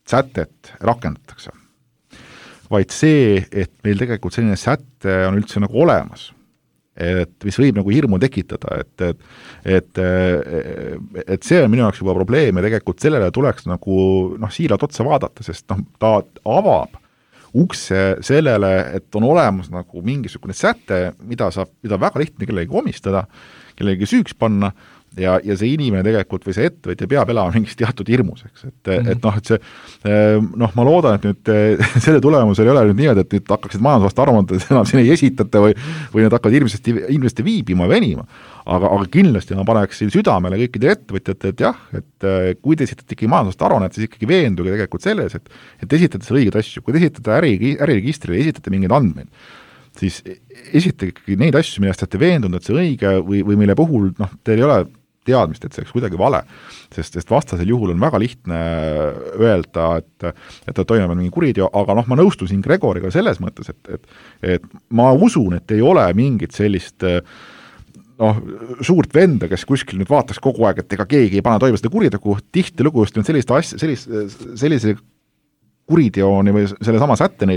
sätet rakendatakse. Vaid see, et meil tegelikult selline säte on üldse olemas, et mis võib hirmu tekitada, et see on minu jaoks juba probleem ja tegelikult sellele tuleks siiralt otsa vaadata, sest ta avab ukse sellele, et on olemas mingisugune säte, mida väga lihtne kellegi omistada, kellegi süüks panna ja see inimene tegelikult või see ettevõtja peab elama mingis teatud hirmus, eks, et see, ma loodan, et nüüd selle tulemusel ei ole nüüd niimoodi, et nüüd hakkaksid majandusaasta aruanded enam siin ei esitata või need hakkavad ilmselt viibima ja venima, aga kindlasti ma paneksin südamele kõikidele ettevõtjate, et jah, et kui te esitate ikkagi majandusaasta aruannet, siis ikkagi veenduge tegelikult selles, et esitate selle õigeid asju, kui te esitate äriregistrile, esitate mingeid andmeid, siis esitage ikkagi neid asju, millest olete veendunud, et see õige või mille puhul teil ei ole teadmist, et see oleks kuidagi vale, sest vastasel juhul on väga lihtne öelda, et ta toimub mingi kuriteo, aga ma nõustun siin Gregoriga selles mõttes, et ma usun, et ei ole mingit sellist suurt venda, kes kuskil nüüd vaataks kogu aeg, et ega keegi ei pane toime seda kuritegu, tihtilugu just sellise kuriteoni või selle sama sätteni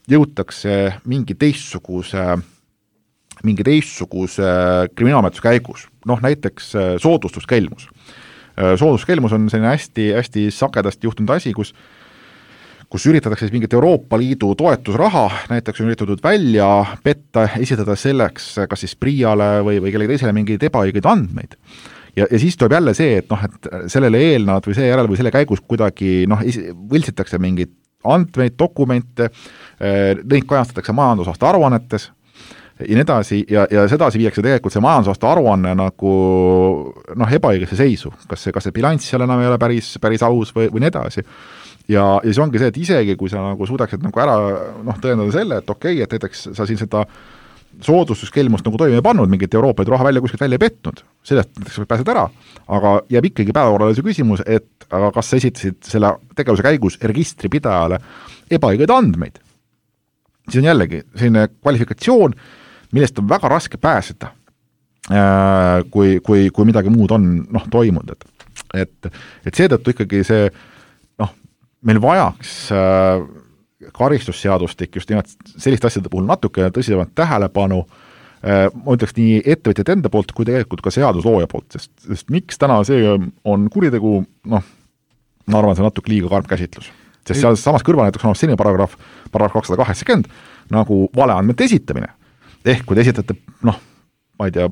jõutakse mingi teistsuguse kriminaalmenetluse käigus. Näiteks soodustuskelmus. Soodustuskelmus on selline hästi sagedasti juhtunud asi, kus üritatakse siis mingit Euroopa Liidu toetusraha, näiteks on üritatud välja petta, esitada selleks kas siis PRIA-le või kellegi teisele mingeid ebaõigeid andmeid. Ja siis tuleb jälle see, et sellele eelnavad või see järel või selle käigus kuidagi võltsitakse mingeid andmeid, dokumente, neid kajastatakse majandusaasta aruannetes ja nii edasi, ja sedasi viiakse tegelikult see majandusaasta aruanne nagu ebaõigesse seisu, kas see bilanss seal enam ei ole päris aus või nii edasi. Ja see ongi see, et isegi kui sa suudaksid ära tõendada selle, et okei, et näiteks sa siin seda soodustuskelmust toime ei pannud, mingit Euroopa Liidu raha kuskilt välja ei petnud, sellest näiteks pääsed ära, aga jääb ikkagi päevakorrale see küsimus, et aga kas sa esitasid selle tegevuse käigus registripidajale ebaõigeid andmeid. Siis on jällegi selline kvalifikatsioon, millest on väga raske pääseda, kui midagi muud on toimunud. Et seetõttu ikkagi see meil vajaks karistusseadustik just nimelt selliste asjade puhul natuke tõsisemat tähelepanu, ma ütleks nii ettevõtjate enda poolt, kui tegelikult ka seaduslooja poolt, sest miks täna see on kuritegu, ma arvan, see on natuke liiga karm käsitlus. Sest seal samas kõrval näiteks on selline paragrahv 280, nagu valeandmete esitamine. Ehk kui te esitate, ma ei tea,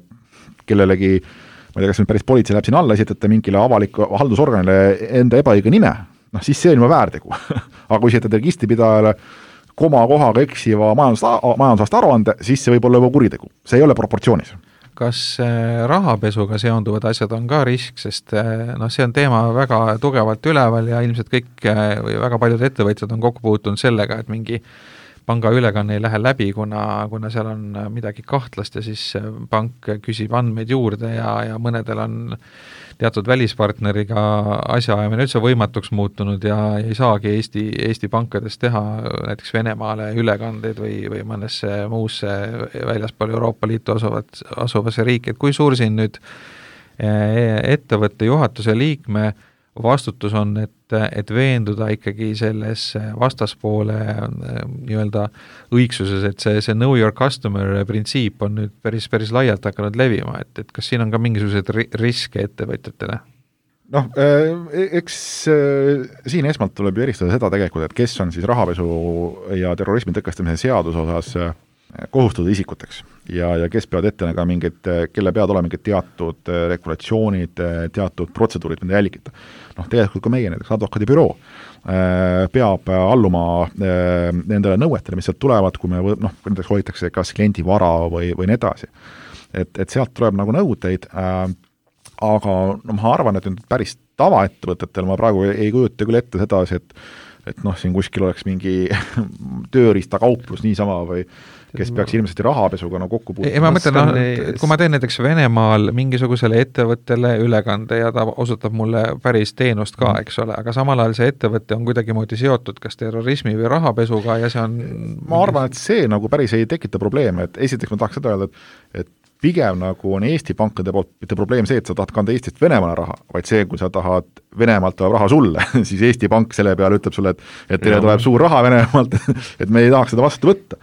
kellelegi, ma ei tea, kas nüüd päris politsei läheb siin alla, esitate mingile avaliku haldusorganile enda ebaõige nime, siis see on juba väärtegu. Aga kui esitate registripidajale komakohaga eksiva majandusaasta aruande, siis see võib olla juba kuritegu. See ei ole proportsioonis. Kas rahapesuga seonduvad asjad on ka risk, sest see on teema väga tugevalt üleval ja ilmselt kõik või väga paljud ettevõtjad on kokku puutunud sellega, et mingi panga ülekanne ei lähe läbi, kuna seal on midagi kahtlast ja siis pank küsib andmeid juurde ja mõnedel on teatud välispartneriga asjaajamine üldse võimatuks muutunud ja ei saagi Eesti pankades teha näiteks Venemaale ülekandeid või mõnesse muusse väljaspool Euroopa Liitu asuvasse riiki, et kui suur siin nüüd ettevõtte juhatuse liikme vastutus on, et veenduda ikkagi selles vastaspoole nii-öelda õigsuses, et see know your customer printsiip on nüüd päris laialt hakanud levima, et kas siin on ka mingisuguseid riske ettevõtjatele? Eks siin esmalt tuleb eristada seda tegelikult, et kes on siis rahapesu ja terrorismi tõkestamise seaduse osas kohustatud isikuteks ja kes peavad ette näga kelle peavad olema mingid teatud regulatsioonid, teatud protseduurid, mida jälgida. Tegelikult ka meie näiteks advokaadibüroo peab alluma nendele nõuetele, mis sealt tulevad, kui me näiteks hoitakse kas kliendi vara või nii edasi. Et sealt tuleb nõudeid, aga ma arvan, et päris tavaettevõtetel ma praegu ei kujuta küll ette sedasi, et siin kuskil oleks mingi tööriistakauplus niisama või kes peaks ilmselt rahapesuga kokku puutuma. Ma mõtlen, et kui ma teen näiteks Venemaal mingisugusele ettevõttele ülekande ja ta osutab mulle päris teenust ka, eks ole, aga samal ajal see ettevõte on kuidagimoodi seotud kas terrorismi või rahapesuga ja see on... Ma arvan, et see päris ei tekita probleeme, et esiteks ma tahaks seda öelda, et pigem on Eesti pankade poolt mitte probleem see, et sa tahad kanda Eestist Venemaale raha, vaid see, kui sa tahad Venemaalt tuleb raha sulle, siis Eesti pank selle peale ütleb sulle, et teile tuleb suur raha Venemaalt, et me ei tahaks seda vastu võtta.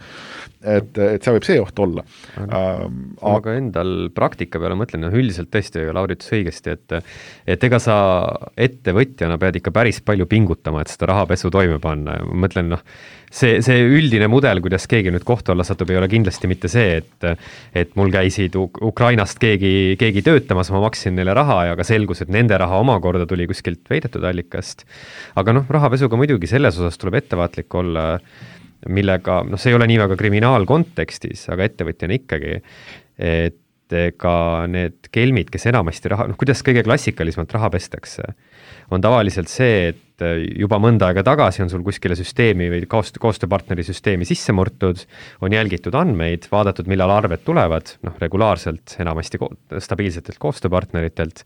Et see võib see oht olla. Aga endal praktika peale mõtlen, üldiselt tõesti Lauri ütles õigesti, et ega sa ettevõtjana pead ikka päris palju pingutama, et seda rahapesu toime panna. Mõtlen, see üldine mudel, kuidas keegi nüüd kohtu alla satub, ei ole kindlasti mitte see, et mul käisid Ukrainast keegi töötamas, ma maksin neile raha ja ka selgus, et nende raha omakorda tuli kuskilt veidetud allikast. Aga rahapesuga muidugi selles osas tuleb ettevaatlik olla, millega, see ei ole nii väga kriminaalkontekstis, aga ettevõtjana ikkagi, et ka need kelmid, kes enamasti kuidas kõige klassikalismalt raha pestakse, on tavaliselt see, et et juba mõnda aega tagasi on sul kuskile süsteemi või koostööpartneri süsteemi sisse murtud, on jälgitud andmeid, vaadatud, millal arved tulevad, regulaarselt, enamasti stabiilsetelt koostööpartneritelt,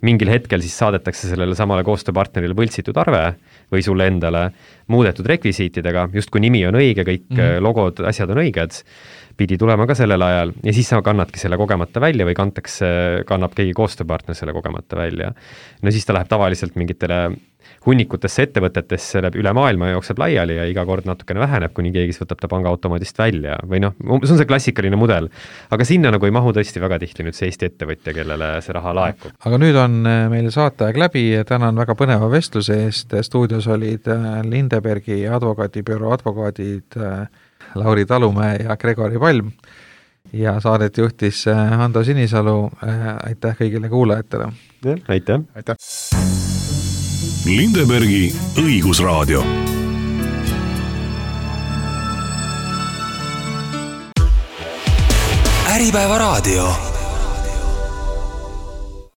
mingil hetkel siis saadetakse sellele samale koostööpartnerile võltsitud arve või sulle endale muudetud rekvisiitidega, justkui nimi on õige, kõik logod, asjad on õiged, pidi tulema ka sellel ajal ja siis sa kannadki selle kogemata välja või kannab keegi koostööpartner selle kogemata välja. No siis ta läheb tavaliselt mingitele hunnikutesse ettevõtetesse üle maailma jookseb laiali ja iga kord natukene väheneb, kuni keegi võtab ta pangaautomaadist välja või see on see klassikaline mudel. Aga sinna ei mahu tõesti väga tihti nüüd see Eesti ettevõtja, kellele see raha laekub. Aga nüüd on meil saateaeg läbi ja tänan väga põneva vestluse eest. Stuudios olid Lindebergi advokaadibüroo advokaadid Lauri Talumäe ja Gregori Palm ja saadet juhtis Ando Sinisalu. Aitäh kõigile kuulajatele. Aitäh. Aitäh. Lindebergi õigusraadio. Äripäeva raadio.